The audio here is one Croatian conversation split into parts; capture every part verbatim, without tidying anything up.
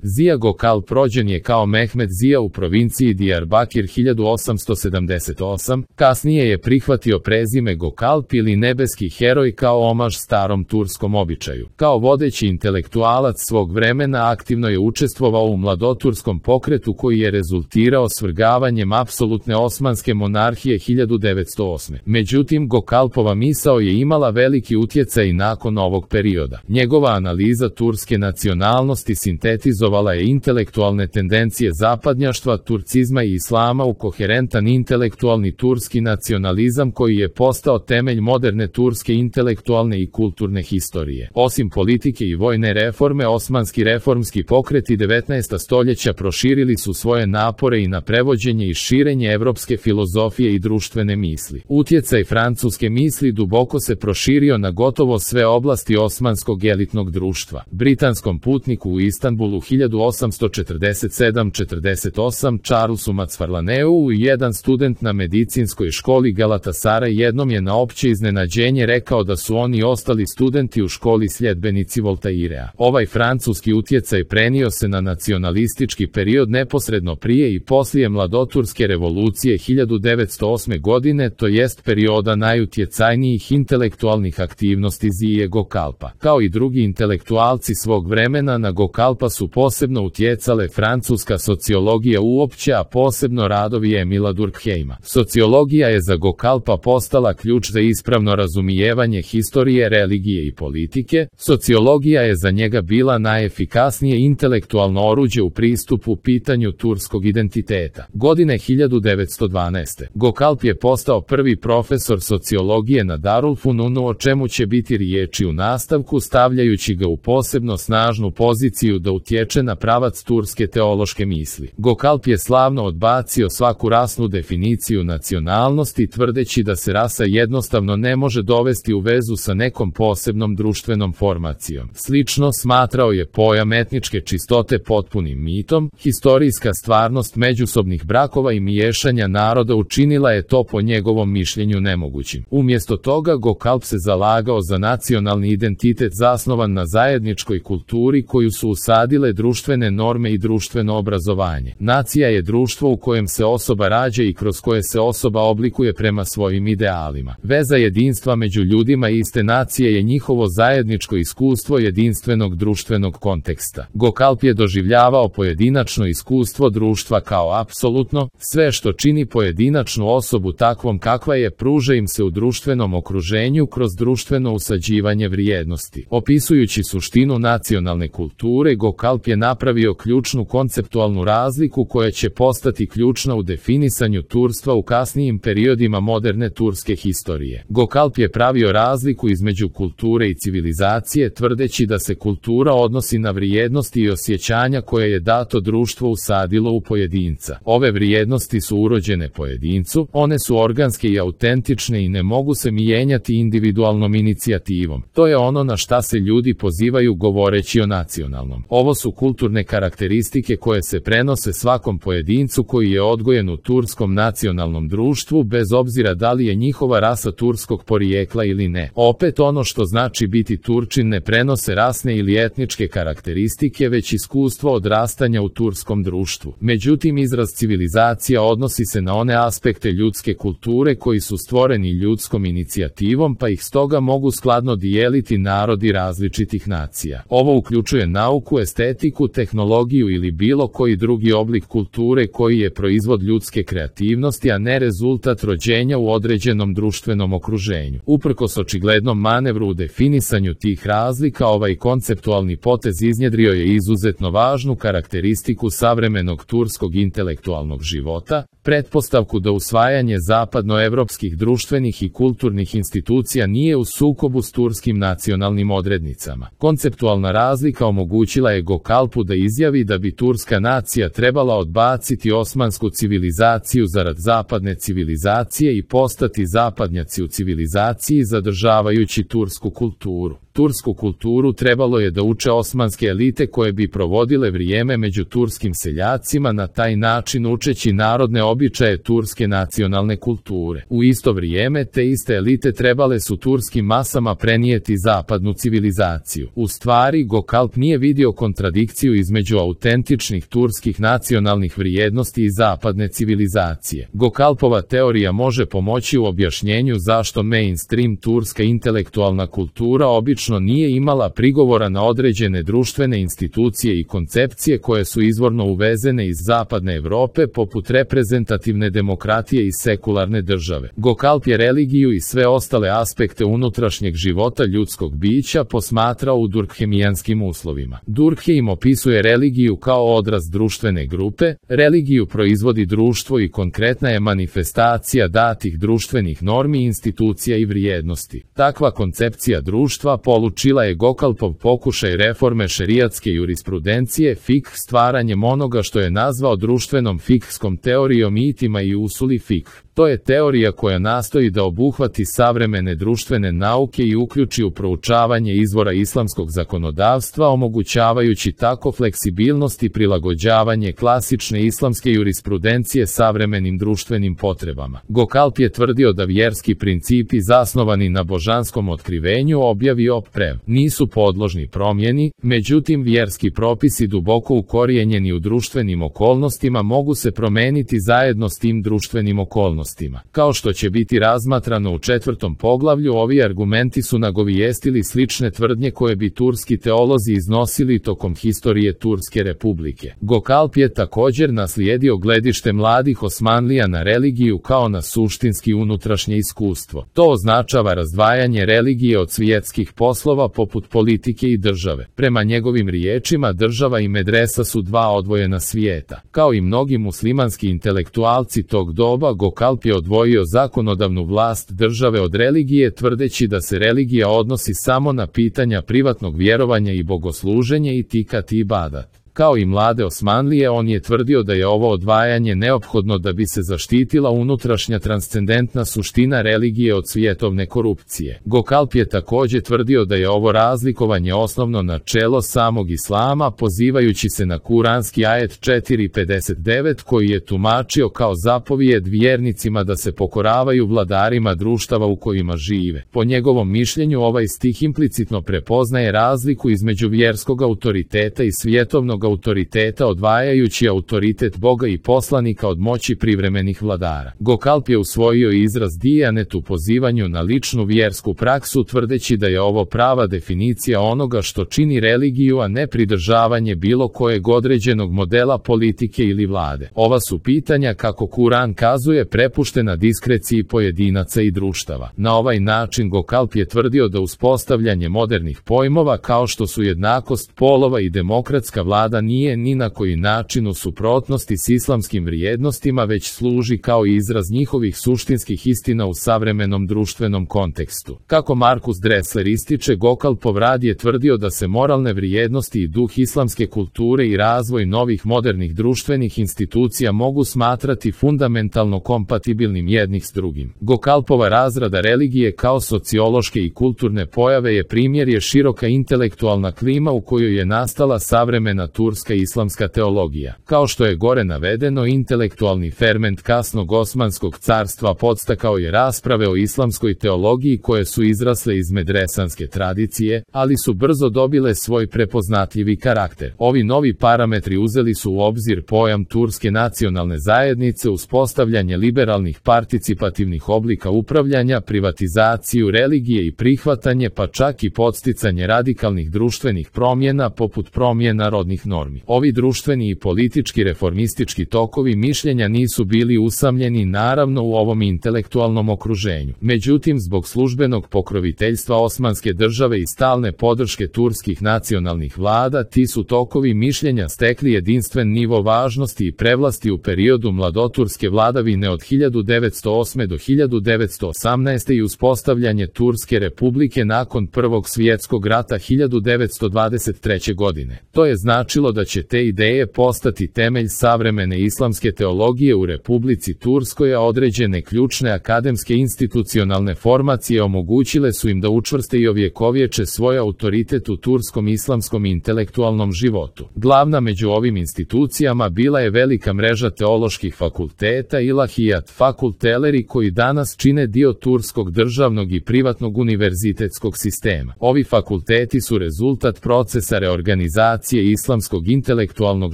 Zija Gökalp rođen je kao Mehmed Zija u provinciji Diyarbakir hiljadu osamsto sedamdeset osam, kasnije je prihvatio prezime Gökalp ili nebeski heroj kao omaž starom turskom običaju. Kao vodeći intelektualac svog vremena aktivno je učestvovao u mladoturskom pokretu koji je rezultirao svrgavanjem apsolutne osmanske monarhije hiljadu devetsto osme. Međutim, Gökalpova misao je imala veliki utjecaj i nakon ovog perioda. Njegova analiza turske nacionalnosti sintetizovala je intelektualne tendencije zapadnjaštva, turcizma i islama u koherentan intelektualni turski nacionalizam koji je postao temelj moderne turske intelektualne i kulturne historije. Osim politike i vojne reforme, osmanski reformski pokreti devetnaestog stoljeća proširili su svoje napore i na prevođenje i širenje evropske filozofije i društvene misli. Utjecaj francuske misli duboko se proširio na gotovo sve oblasti osmanskog elitnog društva. Britanskom putniku u Istanbulu hiljadu osamsto četrdeset sedam četrdeset osam Charlesu Macfarlaneu i jedan student na medicinskoj školi Galatasaray jednom je na opće iznenađenje rekao da su oni ostali studenti u školi sljedbenici Voltairea. Ovaj francuski utjecaj prenio se na nacionalistički period neposredno prije i poslije mladoturske revolucije hiljadu devetsto osme godine, to jest perioda najutjecajnijih intelektualnih aktivnosti Zije Gökalpa. Kao i drugi intelektualci svog vremena, na Gökalpa su posebno utjecale francuska sociologija uopće, a posebno radovi Emila Durkheima. Sociologija je za Gökalpa postala ključ za ispravno razumijevanje historije, religije i politike. Sociologija je za njega bila najefikasnije intelektualno oruđe u pristupu pitanju turskog identiteta. Godine hiljadu devetsto dvanaeste. Gökalp je postao prvi profesor sociologije na Darul Fununu, o čemu će biti riječi u nastavku, stavljajući ga u posebno snažnu poziciju da utječe na pravac turske teološke misli. Gökalp je slavno odbacio svaku rasnu definiciju nacionalnosti, tvrdeći da se rasa jednostavno ne može dovesti u vezu sa nekom posebnom društvenom formacijom. Slično smatrao je pojam etničke čistote potpunim mitom. Historijska stvarnost međusobnih brakova i miješanja naroda učinila je to po njegovom mišljenju nemogućim. Umjesto toga, Gökalp se zalagao za nacionalni identitet zasnovan na zajedničkoj kulturi koju su usadile društvene norme i društveno obrazovanje. Nacija je društvo u kojem se osoba rađa i kroz koje se osoba oblikuje prema svojim idealima. Veza jedinstva među ljudima iste nacije je njihovo zajedničko iskustvo jedinstvenog društvenog konteksta. Gökalp je doživljavao pojedinačno iskustvo društva kao apsolutno, sve što čini pojedinačnu osobu takvom kakva je pruža im se u društvenom okruženju kroz društveno usađivanje vrijednosti. Opisujući suštinu nacionalne kulture, Gökalp je napravio ključnu konceptualnu razliku koja će postati ključna u definisanju turstva u kasnijim periodima moderne turske historije. Gökalp je pravio razliku između kulture i civilizacije, tvrdeći da se kultura odnosi na vrijednosti i osjećanja koje je dato društvo usadilo u pojedinca. Ove vrijednosti su urođene pojedincu, one su organske i autentične i ne mogu se mijenjati individualnom inicijativom. To je ono na šta se ljudi pozivaju govoreći o nacionalnom. Ovo su kulturne karakteristike koje se prenose svakom pojedincu koji je odgojen u turskom nacionalnom društvu, bez obzira da li je njihova rasa turskog porijekla ili ne. Opet, ono što znači biti Turčin ne prenose rasne ili etničke karakteristike, već iskustvo odrastanja u turskom društvu. Međutim, izraz civilizacija odnosi se na one aspekte ljudske kulture koji su stvoreni ljudskom inicijativom, pa ih stoga mogu skladno dijeliti narodi različitih nacija. Ovo uključuje nauku, estetiku, tehnologiju ili bilo koji drugi oblik kulture koji je proizvod ljudske kreativnosti, a ne rezultat rođenja u određenom društvenom okruženju. Uprkos očiglednom manevru u definisanju tih razlika, ovaj konceptualni potez iznjedrio je izuzetno važnu karakteristiku savremenog turskog intelektualnog života, pretpostavku da usvajanje zapadnoevropskih društvenih i kulturnih institucija nije u sukobu s turskim nacionalnim odrednicama. Konceptualna razlika omogućila je Gökalpu da izjavi da bi turska nacija trebala odbaciti osmansku civilizaciju zarad zapadne civilizacije i postati zapadnjaci u civilizaciji zadržavajući tursku kulturu. Tursku kulturu trebalo je da uče osmanske elite koje bi provodile vrijeme među turskim seljacima, na taj način učeći narodne običaje turske nacionalne kulture. U isto vrijeme te iste elite trebale su turskim masama prenijeti zapadnu civilizaciju. U stvari, Gökalp nije vidio kontradikciju između autentičnih turskih nacionalnih vrijednosti i zapadne civilizacije. Gökalpova teorija može pomoći u objašnjenju zašto mainstream turska intelektualna kultura obično nije imala prigovora na određene društvene institucije i koncepcije koje su izvorno uvezene iz zapadne Europe, poput reprezentativne demokratije i sekularne države. Gökalp je religiju i sve ostale aspekte unutrašnjeg života ljudskog bića posmatrao u durkheimijanskim uslovima. Durkheim opisuje religiju kao odraz društvene grupe, religiju proizvodi društvo i konkretna je manifestacija datih društvenih normi, institucija i vrijednosti. Takva koncepcija društva polučila je Gökalpov pokušaj reforme šerijatske jurisprudencije, fikh, stvaranjem onoga što je nazvao društvenom fikhskom teorijom itima i usuli fikh. To je teorija koja nastoji da obuhvati savremene društvene nauke i uključi u proučavanje izvora islamskog zakonodavstva, omogućavajući tako fleksibilnost i prilagođavanje klasične islamske jurisprudencije savremenim društvenim potrebama. Gökalp je tvrdio da vjerski principi zasnovani na božanskom otkrivenju, objavi i oprev nisu podložni promjeni, međutim vjerski propisi duboko ukorijenjeni u društvenim okolnostima mogu se promeniti zajedno s tim društvenim okolnostima. Kao što će biti razmatrano u četvrtom poglavlju, ovi argumenti su nagovijestili slične tvrdnje koje bi turski teolozi iznosili tokom historije Turske republike. Gökalp je također naslijedio gledište mladih Osmanlija na religiju kao na suštinski unutrašnje iskustvo. To označava razdvajanje religije od svjetskih poslova poput politike i države. Prema njegovim riječima, država i medresa su dva odvojena svijeta. Kao i mnogi muslimanski intelektualci tog doba, Gökalp je odvojio zakonodavnu vlast države od religije, tvrdeći da se religija odnosi samo na pitanja privatnog vjerovanja i bogosluženja i tikat i ibadat. Kao i mlade Osmanlije, on je tvrdio da je ovo odvajanje neophodno da bi se zaštitila unutrašnja transcendentna suština religije od svjetovne korupcije. Gökalp je također tvrdio da je ovo razlikovanje osnovno načelo samog islama, pozivajući se na kuranski ajet četiri pedeset devet koji je tumačio kao zapovijed vjernicima da se pokoravaju vladarima društava u kojima žive. Po njegovom mišljenju, ovaj stih implicitno prepoznaje razliku između vjerskog autoriteta i svjetovnog autoriteta, odvajajući autoritet Boga i poslanika od moći privremenih vladara. Gökalp je usvojio izraz dijanet u pozivanju na ličnu vjersku praksu, tvrdeći da je ovo prava definicija onoga što čini religiju, a ne pridržavanje bilo kojeg određenog modela politike ili vlade. Ova su pitanja, kako Kuran kazuje, prepuštena diskreciji pojedinaca i društava. Na ovaj način Gökalp je tvrdio da uspostavljanje modernih pojmova kao što su jednakost polova i demokratska vlada nije ni na koji način u suprotnosti s islamskim vrijednostima, već služi kao izraz njihovih suštinskih istina u savremenom društvenom kontekstu. Kako Markus Dressler ističe, Gökalpov rad je tvrdio da se moralne vrijednosti i duh islamske kulture i razvoj novih modernih društvenih institucija mogu smatrati fundamentalno kompatibilnim jednih s drugim. Gökalpova razrada religije kao sociološke i kulturne pojave je primjer je široka intelektualna klima u kojoj je nastala savremena turska islamska teologija. Kao što je gore navedeno, intelektualni ferment kasnog Osmanskog carstva podstakao je rasprave o islamskoj teologiji koje su izrasle iz medresanske tradicije, ali su brzo dobile svoj prepoznatljivi karakter. Ovi novi parametri uzeli su u obzir pojam turske nacionalne zajednice, uspostavljanje liberalnih participativnih oblika upravljanja, privatizaciju religije i prihvatanje, pa čak i podsticanje radikalnih društvenih promjena poput promjena rodnih normi. Ovi društveni i politički reformistički tokovi mišljenja nisu bili usamljeni naravno u ovom intelektualnom okruženju. Međutim, zbog službenog pokroviteljstva Osmanske države i stalne podrške turskih nacionalnih vlada, ti su tokovi mišljenja stekli jedinstven nivo važnosti i prevlasti u periodu mladoturske vladavine od hiljadu devetsto osme do hiljadu devetsto osamnaeste i uspostavljanje Turske republike nakon Prvog svjetskog rata hiljadu devetsto dvadeset treće godine. To je značilo odlučilo da će te ideje postati temelj savremene islamske teologije u Republici Turskoj, a određene ključne akademske institucionalne formacije omogućile su im da učvrste i ovjekovječe svoj autoritet u turskom islamskom intelektualnom životu. Glavna među ovim institucijama bila je velika mreža teoloških fakulteta Ilahijat fakulteleri koji danas čine dio turskog državnog i privatnog univerzitetskog sistema. Ovi fakulteti su rezultat procesa reorganizacije islamskog intelektualnog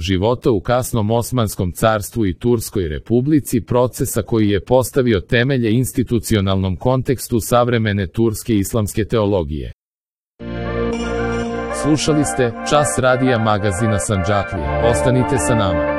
života u kasnom Osmanskom carstvu i Turskoj republici, procesa koji je postavio temelje institucionalnom kontekstu savremene turske islamske teologije. Slušali ste Čas radija magazina Sandžaklija. Ostanite sa nama.